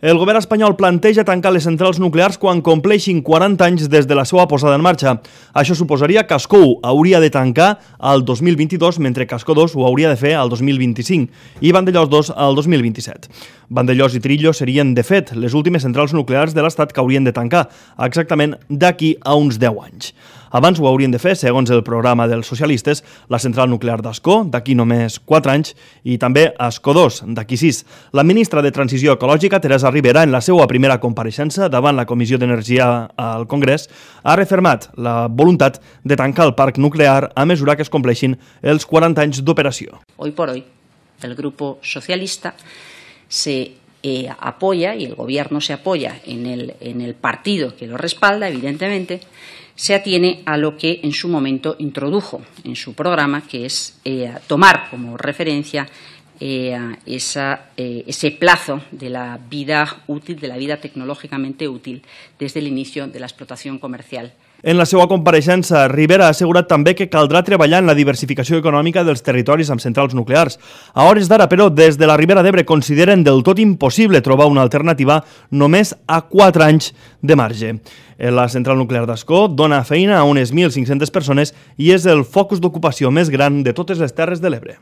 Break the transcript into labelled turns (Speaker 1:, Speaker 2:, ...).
Speaker 1: El govern espanyol planteja tancar les centrals nuclears quan compleixin 40 anys des de la seva posada en marxa. Això suposaria que Ascó 1 hauria de tancar al 2022, mentre que Ascó 2 ho hauria de fer al 2025 i Vandellòs 2 al 2027. Vandellòs i Trillo serien, de fet, les últimes centrals nuclears de l'Estat que haurien de tancar, exactament d'aquí a uns 10 anys. Abans ho haurien de fer, segons el programa dels socialistes, la central nuclear d'Ascó, d'aquí només 4 anys, i també Ascó 2, d'aquí 6. La ministra de Transició Ecològica, Teresa Ribera, en la seva primera compareixença davant la Comissió d'Energia al Congrés, ha refermat la voluntat de tancar el parc nuclear a mesura que es compleixin els 40 anys d'operació.
Speaker 2: Hoy por hoy, el Grupo Socialista se apoya, y el Gobierno se apoya en el partido que lo respalda, evidentemente, se atiene a lo que en su momento introdujo en su programa, que es tomar como referencia ese plazo de la vida útil, de la vida tecnológicamente útil, desde el inicio de la explotación comercial.
Speaker 1: En la seva compareixença, Ribera ha assegurat també que caldrà treballar en la diversificació econòmica dels territoris amb centrals nuclears. A hores d'ara, però, des de la Ribera d'Ebre consideren del tot impossible trobar una alternativa només a 4 anys de marge. La central nuclear d'Ascó dona feina a unes 1.500 persones i és el focus d'ocupació més gran de totes les Terres de l'Ebre.